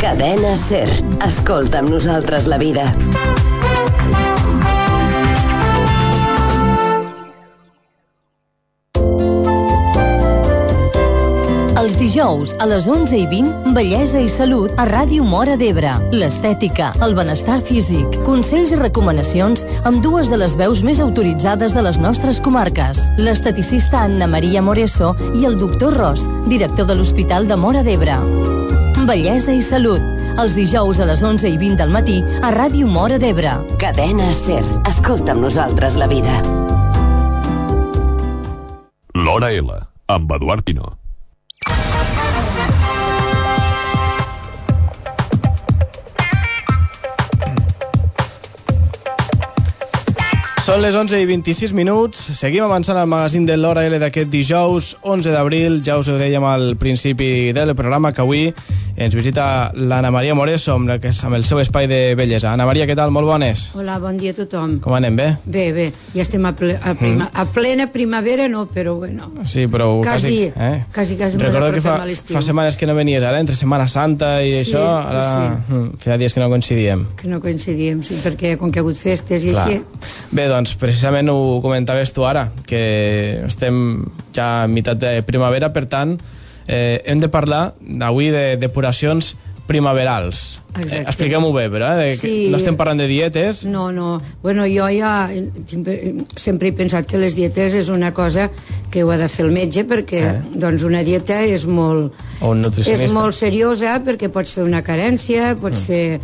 Cadena SER. Escolta amb nosaltres la vida. Els dijous, a les 11:20, Bellesa i Salut a Ràdio Móra d'Ebre. L'estètica, el benestar físic, consells i recomanacions amb dues de les veus més autoritzades de les nostres comarques. L'esteticista Anna Maria Moreso i el doctor Ros, director de l'Hospital de Móra d'Ebre. Bellesa i Salut, els dijous a les 11:20 del matí a Ràdio Móra d'Ebre. Cadena SER. Escolta amb nosaltres la vida. L'Hora L, amb Eduard Pino. Són les 11:26. Seguim avançant al magazín de l'Hora L d'aquest dijous, 11 d'abril. Ja us ho dèiem al principi del programa, que avui ens visita l'Anna Maria Moreso amb el seu espai de bellesa. Anna Maria, què tal? Molt bones. Hola, bon dia a tothom. Com anem, bé? Bé. Ja estem a plena primavera, no, però bueno. Sí, però quasi recordo que fa setmanes que no venies, ara, entre Setmana Santa i això, ara feia dies que no coincidíem. Sí, perquè com que ha hagut festes i així. Bé, doncs precisament ho comentaves tu ara, que estem ja a meitat de primavera, per tant, hem de parlar avui de depuracions primaverals. Expliquem-ho bé, però, no estem parlant de dietes. No. Bueno, jo ja sempre he pensat que les dietes és una cosa que ho ha de fer el metge, perquè doncs una dieta és molt seriosa, perquè pots fer una carència, pots fer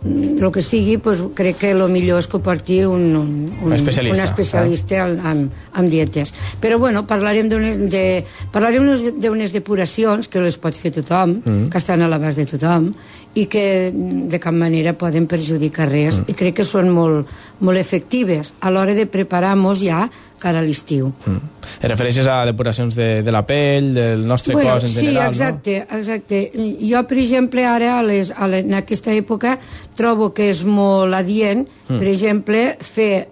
el que sigui, doncs crec que el millor és que ho porti un especialista en dietes. Però bueno, parlarem d'unes depuracions que les pot fer tothom, que estan a l'abast de tothom i que de cap manera poden perjudicar res, i crec que són molt efectives a l'hora de preparar-nos ja cara a l'estiu. Et refereixes a depuracions de la pell, del nostre cos en general, sí, exacte. Jo, per exemple, ara, en aquesta època, trobo que és molt adient, per exemple, fer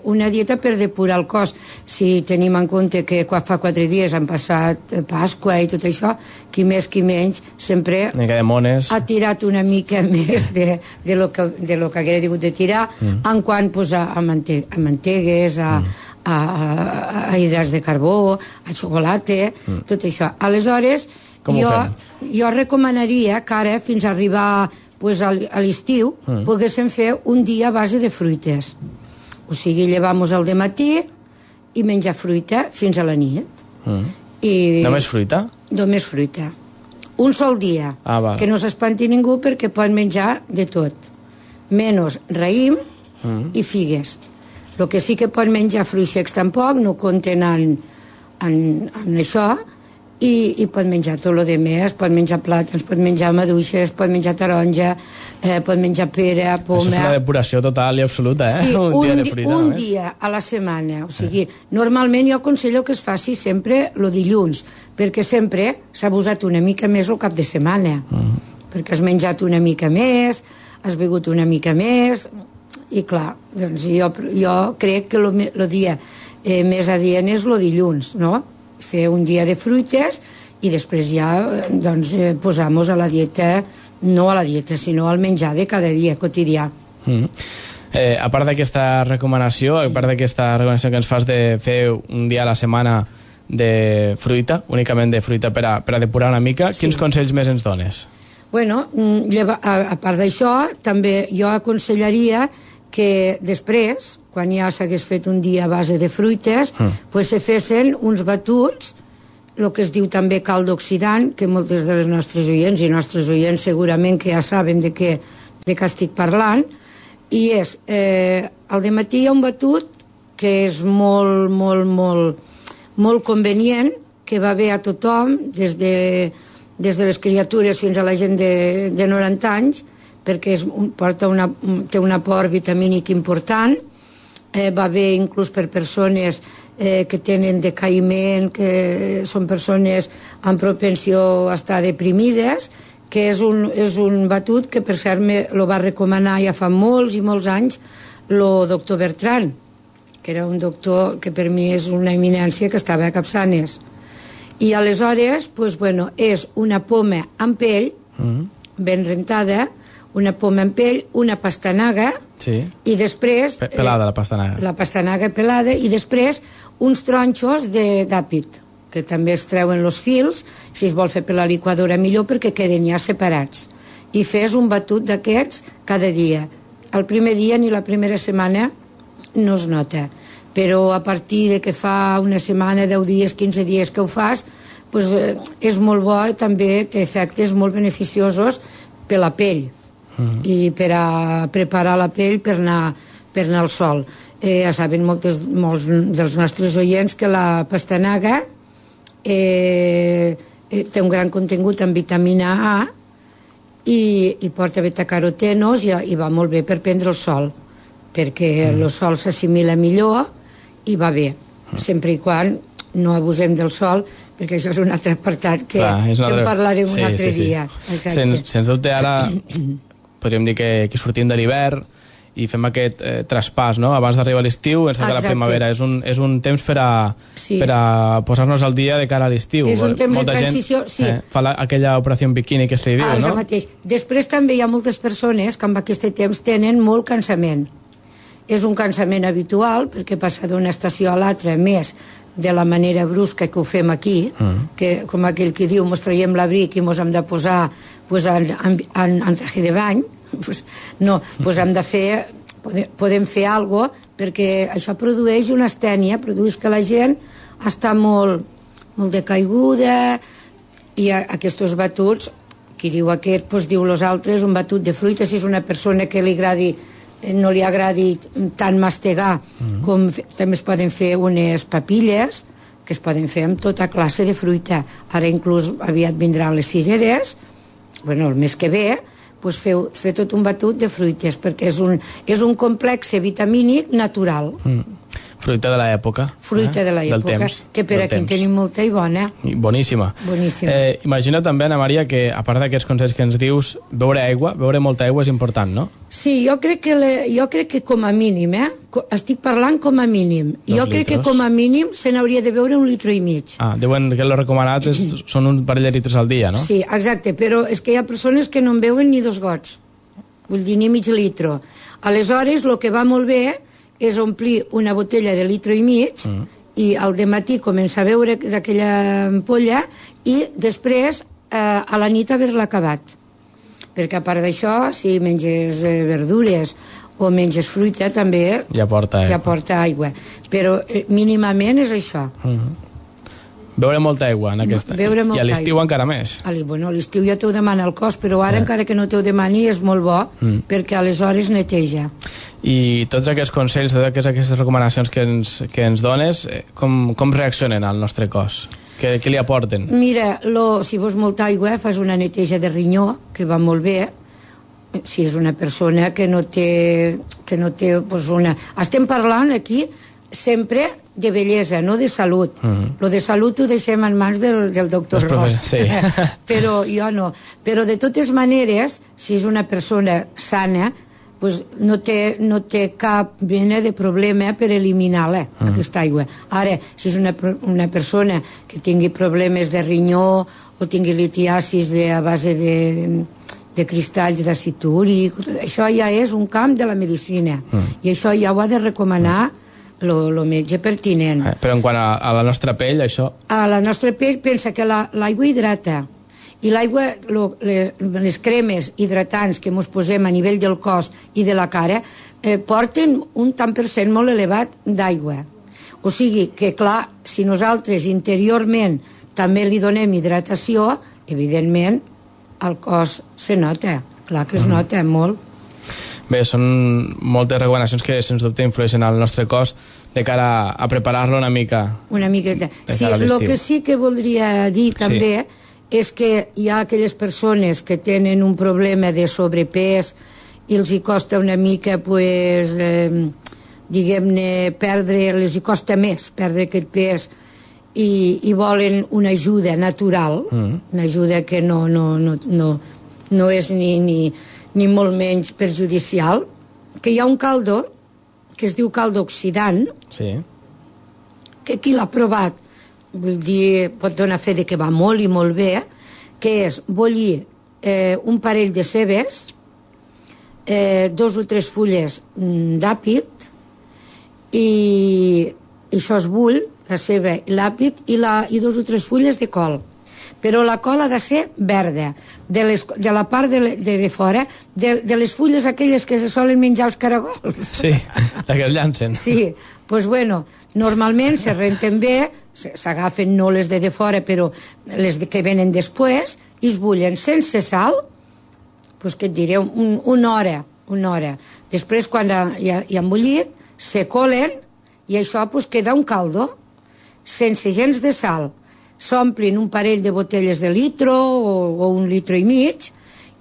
una dieta per depurar el cos. Si tenim en compte que fa 4 dies han passat Pasqua i tot això, qui més, qui menys, sempre ha tirat una mica més de lo que haguera hagut de tirar, en quant a mantegues, a hidrats de carbó, a xocolata, tot això. Aleshores, jo recomanaria que ara, fins a arribar a l'estiu, poguéssim fer un dia a base de fruites. O sigui, llevar-nos al dematí i menjar fruita fins a la nit. Només fruita? Només fruita. Un sol dia. Que no s'espanti ningú, perquè pot menjar de tot. Menys raïm i figues. El que sí que pot menjar fruits secs tampoc, no compten en això, i pot menjar tot el demés, pot menjar plàtans, pot menjar maduixes, pot menjar taronja, pot menjar pera, poma... Això és una depuració total i absoluta, Sí, un dia a la setmana. O sigui, normalment jo aconsello que es faci sempre el dilluns, perquè sempre s'ha abusat una mica més el cap de setmana, perquè has menjat una mica més, has begut una mica més... I clar, doncs jo crec que el dia més adient és el dilluns, no? Fer un dia de fruites i després ja posar-nos a la dieta, no a la dieta, sinó al menjar de cada dia quotidià. A part d'aquesta recomanació, que ens fas de fer un dia a la setmana de fruita, únicament de fruita per a depurar una mica, quins consells més ens dones? Bueno, a part d'això, també jo aconsellaria que després, quan ja s'hagués fet un dia a base de fruites, se fessin uns batuts, el que es diu també caldo oxidant, que moltes de les nostres oients i nostres oients segurament que ja saben de què estic parlant, i és, al dematí hi ha un batut que és molt convenient, que va bé a tothom, des de les criatures fins a la gent de 90 anys, perquè té un aport vitamínic important, va bé inclús per persones que tenen decaïment, que són persones amb propensió a estar deprimides, que és un batut que per cert lo va recomanar ja fa molts i molts anys el doctor Bertran, que era un doctor que per mi és una eminència, que estava a Capçanes. I aleshores, és una poma amb pell, ben rentada, una poma en pell, una pastanaga, i després... Pelada, la pastanaga. La pastanaga pelada, i després uns tronxos d'àpid, que també es treuen els fils, si es vol fer per la liquadora millor, perquè queden ja separats. I fes un batut d'aquests cada dia. El primer dia ni la primera setmana no es nota, però a partir de que fa una setmana, 10 dies, 15 dies que ho fas, pues, és molt bo i també té efectes molt beneficiosos per la pell i per a preparar la pell per anar al sol. Ja saben molts dels nostres oients que la pastanaga té un gran contingut en vitamina A i porta betacarotenos i va molt bé per prendre el sol, perquè el sol s'assimila millor i va bé, sempre i quan no abusem del sol, perquè això és un altre apartat que en parlarem un altre dia. Sens dubte, ara podríem dir que sortim de l'hivern i fem aquest traspàs, no? Abans d'arribar a l'estiu, ens toca la primavera. És un temps per a posar-nos al dia de cara a l'estiu. És un temps de transició, sí. Fa aquella operació en biquini que se li diu, no? Això mateix. Després també hi ha moltes persones que amb aquest temps tenen molt cansament. És un cansament habitual, perquè passa d'una estació a l'altra, més de la manera brusca que ho fem aquí, que com aquell que diu, mos traiem l'abric i mos hem de posar en traje de bany, no, hem de fer, podem fer alguna cosa, perquè això produeix una astènia, produeix que la gent està molt decaiguda, i aquests batuts, qui diu aquest, diu els altres, un batut de fruita, si és una persona que no li agradi tant mastegar, com també es poden fer unes papilles, que es poden fer amb tota classe de fruita. Ara inclús aviat vindran les cireres, el mes que ve, fer tot un batut de fruites, perquè és un complex vitamínic natural. Fruita de l'època. Fruita de l'època, que per aquí en tenim molta i bona. Boníssima. Imagina també, Ana Maria, que a part d'aquests consells que ens dius, beure molta aigua és important, no? Sí, jo crec que com a mínim, estic parlant com a mínim, jo crec que com a mínim se n'hauria de beure 1,5 litres. Diuen que el recomanat són un parell de litres al dia, no? Sí, exacte, però és que hi ha persones que no en beuen ni 2 gots, vull dir, ni mig litre. Aleshores, el que va molt bé és omplir una botella de 1,5 litres i al dematí començar a beure d'aquella ampolla i després a la nit haver-la acabat. Perquè a part d'això, si menges verdures o menges fruita, també ja porta aigua. Però mínimament és això. Beure molta aigua en aquesta. I a l'estiu encara més. A l'estiu ja t'ho demana el cos, però ara encara que no t'ho demani és molt bo, perquè aleshores neteja. I tots aquests consells, totes aquestes recomanacions que ens dones, com reaccionen al nostre cos? Què li aporten? Mira, si vols molta aigua, fas una neteja de rinyó, que va molt bé, si és una persona que no té una... Estem parlant aquí sempre de bellesa, no de salut. Lo de salut ho deixem en mans del doctor Ross. Però jo no. Però de totes maneres, si és una persona sana, no té cap mena de problema per eliminar-la, aquesta aigua. Ara, si és una persona que tingui problemes de rinyó o tingui litiasis a base de cristalls d'àcid úric, això ja és un camp de la medicina, i això ja ho ha de recomanar el metge pertinent. Però en quant a la nostra pell, això... A la nostra pell, pensa que l'aigua hidrata, i l'aigua, les cremes hidratants que ens posem a nivell del cos i de la cara porten un tant per cent molt elevat d'aigua. O sigui que, clar, si nosaltres interiorment també li donem hidratació, evidentment el cos se nota, clar que es nota molt. Bé, són moltes recomanacions que sens dubte influeixen al nostre cos de cara a preparar-lo una mica. Una miqueta. Sí, el que sí que voldria dir també és que hi ha aquelles persones que tenen un problema de sobrepès i els hi costa una mica, diguem-ne, els hi costa més perdre aquest pes i volen una ajuda natural, una ajuda que no és ni molt menys perjudicial, que hi ha un caldo que es diu caldo oxidant, que qui l'ha provat, vull dir, pot donar fe de que va molt i molt bé, que és bullir un parell de cebes, 2 o 3 fulles d'àpid, i això es bull, la ceba i l'àpid, i 2 o 3 fulles de col. Però la col ha de ser verda, de la part de fora, de les fulles aquelles que se solen menjar els caragols. Sí, la que es llancen. Sí, doncs bueno, normalment se renten bé, s'agafen no les de fora, però les que venen després, i es bullen sense sal, doncs què et diré, una hora. Després, quan ja han bullit, se colen, i això doncs queda un caldo, sense gens de sal. S'omplin un parell de botelles de litro o 1,5 litres,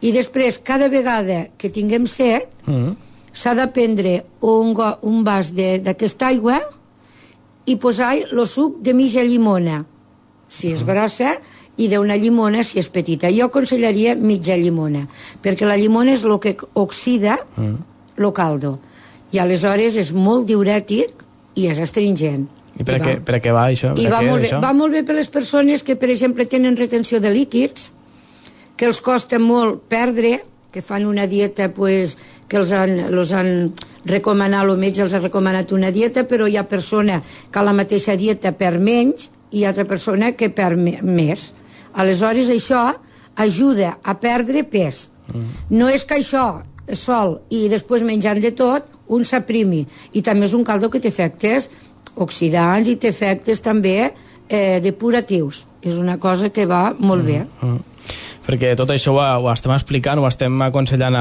i després, cada vegada que tinguem set, s'ha de prendre un vas d'aquesta aigua i posar el suc de mitja llimona, si és grossa, i d'una llimona si és petita. Jo aconsellaria mitja llimona, perquè la llimona és el que oxida el caldo, i aleshores és molt diurètic i és astringent. I per a què va això? I va molt bé per les persones que, per exemple, tenen retenció de líquids, que els costa molt perdre, que fan una dieta, pues, que els han recomanat, el metge els ha recomanat una dieta, però hi ha persona que a la mateixa dieta perd menys i hi ha altra persona que perd més. Aleshores, això ajuda a perdre pes. No és que això sol i després menjant de tot, un s'aprimi. I també és un caldo que té efectes oxidants i té efectes també depuratius. És una cosa que va molt bé. Perquè tot això ho estem explicant, ho estem aconsellant,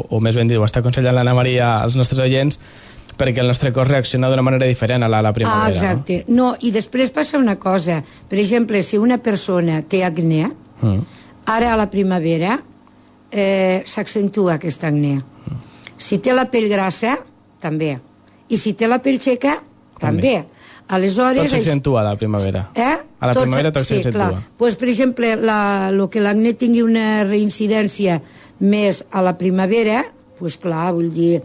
o més ben dit, ho està aconsellant l'Anna Maria als nostres oients, perquè el nostre cos reacciona d'una manera diferent a la primavera. Exacte. No, i després passa una cosa. Per exemple, si una persona té acné, ara a la primavera s'accentua aquesta acné. Si té la pell grassa, també. I si té la pell seca, també. Aleshores, tot s'accentua a la primavera. A la primavera tot s'accentua. Sí, clar. Pues, per exemple, el que l'acné tingui una reincidència més a la primavera, pues clar, vull dir,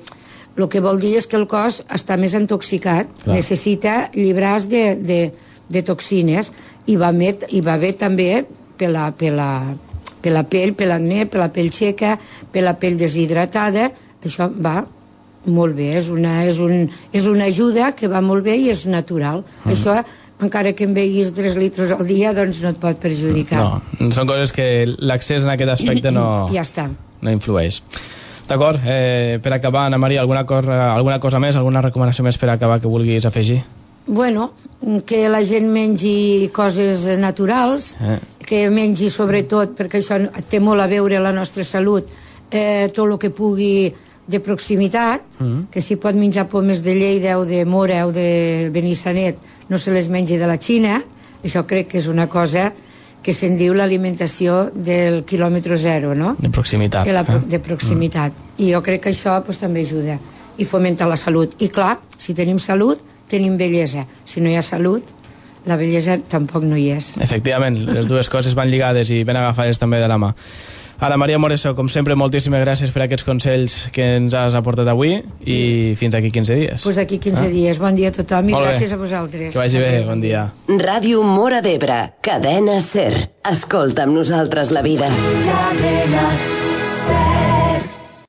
el que vol dir és que el cos està més intoxicat, necessita llibrars de toxines, i va bé també per la pell, per l'acné, per la pell seca, per la pell deshidratada. Això va molt bé, és una ajuda que va molt bé i és natural. Això, encara que en beguis 3 litres al dia, doncs no et pot perjudicar. No, són coses que l'accés en aquest aspecte ja està. No influeix. D'acord, per acabar, Anna Maria, alguna cosa més, alguna recomanació més per acabar que vulguis afegir? Bueno, que la gent mengi coses naturals, que mengi sobretot, perquè això té molt a veure la nostra salut, tot el que pugui de proximitat, que si pot menjar pomes de Lleida o de Mora o de Benissanet, no se les mengi de la Xina. Això crec que és una cosa que se'n diu l'alimentació del quilòmetre zero, no? De proximitat. De proximitat. I jo crec que això pues, també ajuda i fomenta la salut. I clar, si tenim salut, tenim bellesa. Si no hi ha salut, la bellesa tampoc no hi és. Efectivament, les dues coses van lligades i ben agafades també de la mà. Anna Maria Moreso, com sempre, moltíssimes gràcies per aquests consells que ens has aportat avui i fins d'aquí 15 dies. Doncs d'aquí 15 dies. Bon dia a tothom i gràcies a vosaltres. Que vagi bé, bon dia. Ràdio Móra d'Ebre, cadena SER. Escolta amb nosaltres la vida.